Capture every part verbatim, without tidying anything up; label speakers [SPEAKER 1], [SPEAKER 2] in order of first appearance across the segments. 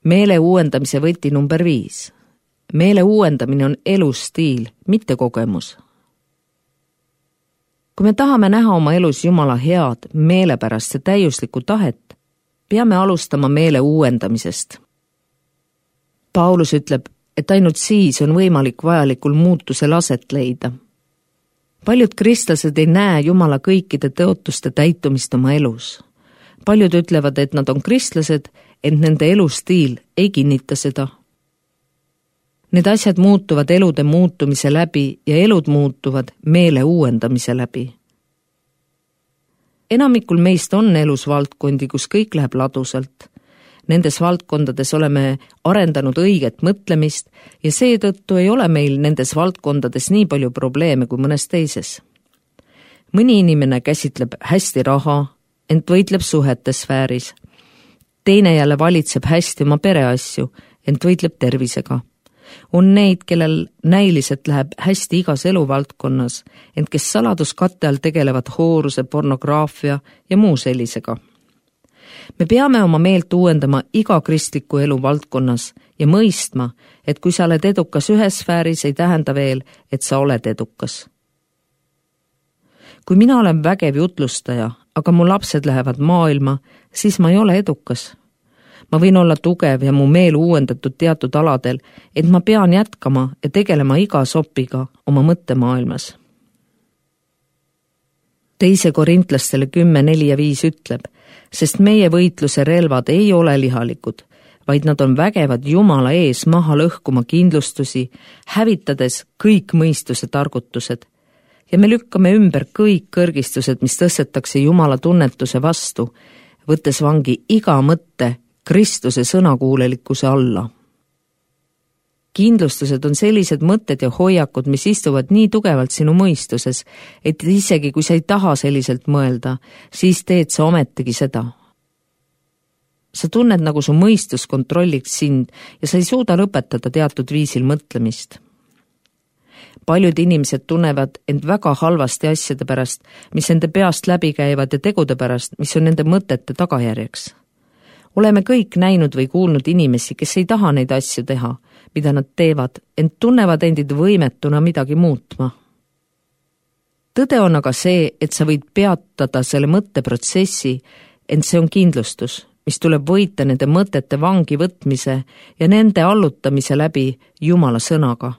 [SPEAKER 1] Meele uuendamise võti number viis. Meele uuendamine on elustiil, mitte kogemus. Kui me tahame näha oma elus Jumala head, meelepärast ja täiuslikku tahet, peame alustama meele uuendamisest. Paulus ütleb, et ainult siis on võimalik vajalikul muutusel aset leida. Paljud kristlased ei näe Jumala kõikide tõotuste täitumist oma elus. Paljud ütlevad, et nad on kristlased, ent nende elustiil ei kinnita seda. Need asjad muutuvad elude muutumise läbi ja elud muutuvad meele uuendamise läbi. Enamikul meist on elus valdkondi, kus kõik läheb ladusalt. Nendes valdkondades oleme arendanud õiget mõtlemist ja seetõttu ei ole meil nendes valdkondades nii palju probleeme kui mõnes teises. Mõni inimene käsitleb hästi raha, ent võitleb suhete sfääris. Teine jälle valitseb hästi oma pereasju, ent võitleb tervisega. On neid, kellel näiliselt läheb hästi igas eluvaldkonnas, ent kes saladuskatte all tegelevad hooruse, pornograafia ja muu sellisega. Me peame oma meelt uuendama iga kristliku elu valdkonnas ja mõistma, et kui sa oled edukas ühes sfääris, ei tähenda veel, et sa oled edukas. Kui mina olen vägev jutlustaja, aga mu lapsed lähevad maailma, siis ma ei ole edukas. Ma võin olla tugev ja mu meel uuendatud teatud aladel, et ma pean jätkama ja tegelema iga sopiga oma mõttemaailmas. Teise korintlastele kümme, neli ja viis ütleb, sest meie võitluse relvad ei ole lihalikud, vaid nad on vägevad Jumala ees maha lõhkuma kindlustusi, hävitades kõik mõistuse targutused. Ja me lükkame ümber kõik kõrgistused, mis tõstetakse Jumala tunnetuse vastu, võttes vangi iga mõtte Kristuse sõnakuulelikkuse alla. Kindlustused on sellised mõtted ja hoiakud, mis istuvad nii tugevalt sinu mõistuses, et isegi kui sa ei taha selliselt mõelda, siis teed sa ometigi seda. Sa tunned, nagu su mõistus kontrolliks sind ja sa ei suuda lõpetada teatud viisil mõtlemist. Paljud inimesed tunnevad end väga halvasti asjade pärast, mis nende peast läbi käivad ja tegude pärast, mis on nende mõtete tagajärjeks. Oleme kõik näinud või kuulnud inimesi, kes ei taha neid asju teha, mida nad teevad, ent tunnevad endid võimetuna midagi muutma. Tõde on aga see, et sa võid peatada selle mõtteprotsessi, ent see on kindlustus, mis tuleb võita nende mõtete vangi võtmise ja nende allutamise läbi Jumala sõnaga.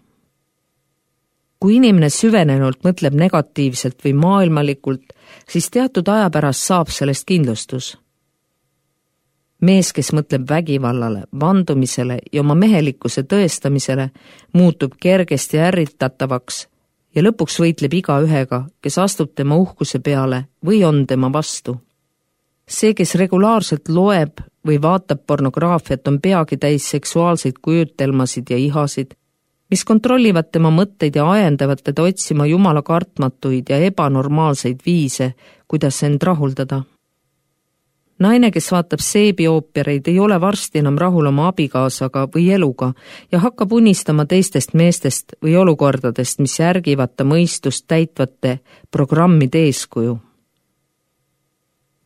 [SPEAKER 1] Kui inimene süvenenult mõtleb negatiivselt või maailmalikult, siis teatud aja pärast saab sellest kindlustus. Mees, kes mõtleb vägivallale, vandumisele ja oma mehelikkuse tõestamisele, muutub kergesti ärritatavaks ja lõpuks võitleb iga ühega, kes astub tema uhkuse peale või on tema vastu. See, kes regulaarselt loeb või vaatab pornograafiat, on peagi täis seksuaalseid kujutelmasid ja ihasid, mis kontrollivad tema mõtteid ja ajendavad teda otsima Jumala kartmatuid ja ebanormaalseid viise, kuidas end rahuldada. Naine, kes vaatab seebioopereid, ei ole varsti enam rahul oma abikaasaga või eluga ja hakkab unistama teistest meestest või olukordadest, mis järgivad ta mõistust täitvate programmide eeskuju.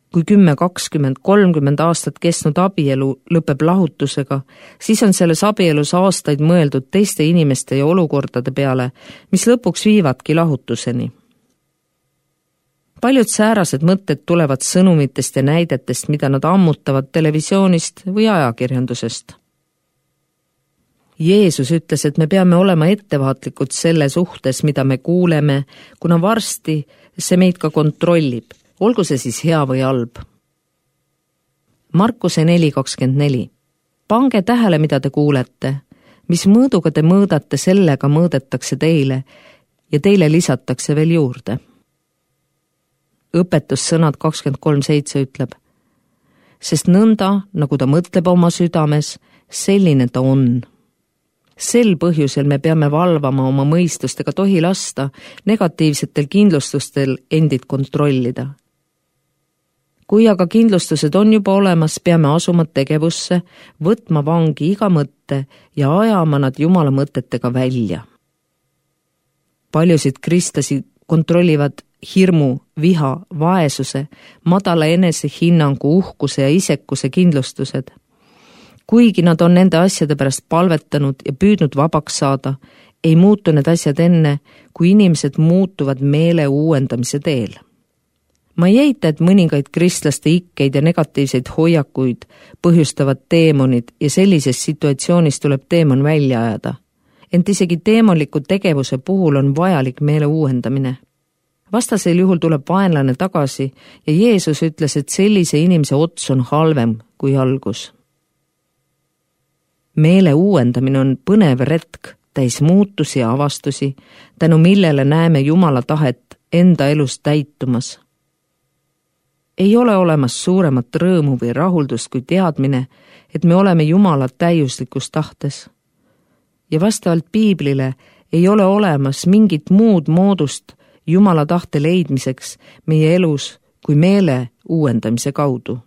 [SPEAKER 1] Kui kümme, kakskümmend, kolmkümmend aastat kestnud abielu lõpeb lahutusega, siis on selles abielus aastaid mõeldud teiste inimeste ja olukordade peale, mis lõpuks viivadki lahutuseni. Paljud säärased mõtted tulevad sõnumitest ja näidetest, mida nad ammutavad televisioonist või ajakirjandusest. Jeesus ütles, et me peame olema ettevaatlikud selle suhtes, mida me kuuleme, kuna varsti see meid ka kontrollib, olgu see siis hea või halb. Markuse neli kakskümmend neli. Pange tähele, mida te kuulete, mis mõõduga te mõõdate, sellega mõõdetakse teile ja teile lisatakse veel juurde. Õpetussõnad kakskümmend kolm seitse ütleb, sest nõnda, nagu ta mõtleb oma südames, selline ta on. Sel põhjusel me peame valvama oma mõistust ega tohi lasta negatiivsetel kindlustustel endid kontrollida. Kui aga kindlustused on juba olemas, peame asuma tegevusse, võtma vangi iga mõtte ja ajama nad Jumala mõtetega välja. Paljusid kristlasi kontrollivad hirmu, viha, vaesuse, madala enesehinnangu, uhkuse ja isekuse kindlustused. kuigi nad on nende asjade pärast palvetanud ja püüdnud vabaks saada, ei muutu need asjad enne, kui inimesed muutuvad meele uuendamise teel. Ma ei eita, et mõningaid kristlaste ikkeid ja negatiivseid hoiakuid põhjustavad teemonid ja sellises situatsioonis tuleb teemon välja ajada. Ent isegi teemonliku tegevuse puhul on vajalik meele uuendamine. Vastasel juhul tuleb vaenlane tagasi ja Jeesus ütles, et sellise inimese ots on halvem kui algus. Meele uuendamine on põnev retk, täis muutusi ja avastusi, tänu millele näeme Jumala tahet enda elus täitumas. Ei ole olemas suuremat rõõmu või rahuldust kui teadmine, et me oleme Jumala täiuslikus tahtes. Ja vastavalt Piiblile ei ole olemas mingit muud moodust Jumala tahte leidmiseks meie elus kui meele uuendamise kaudu.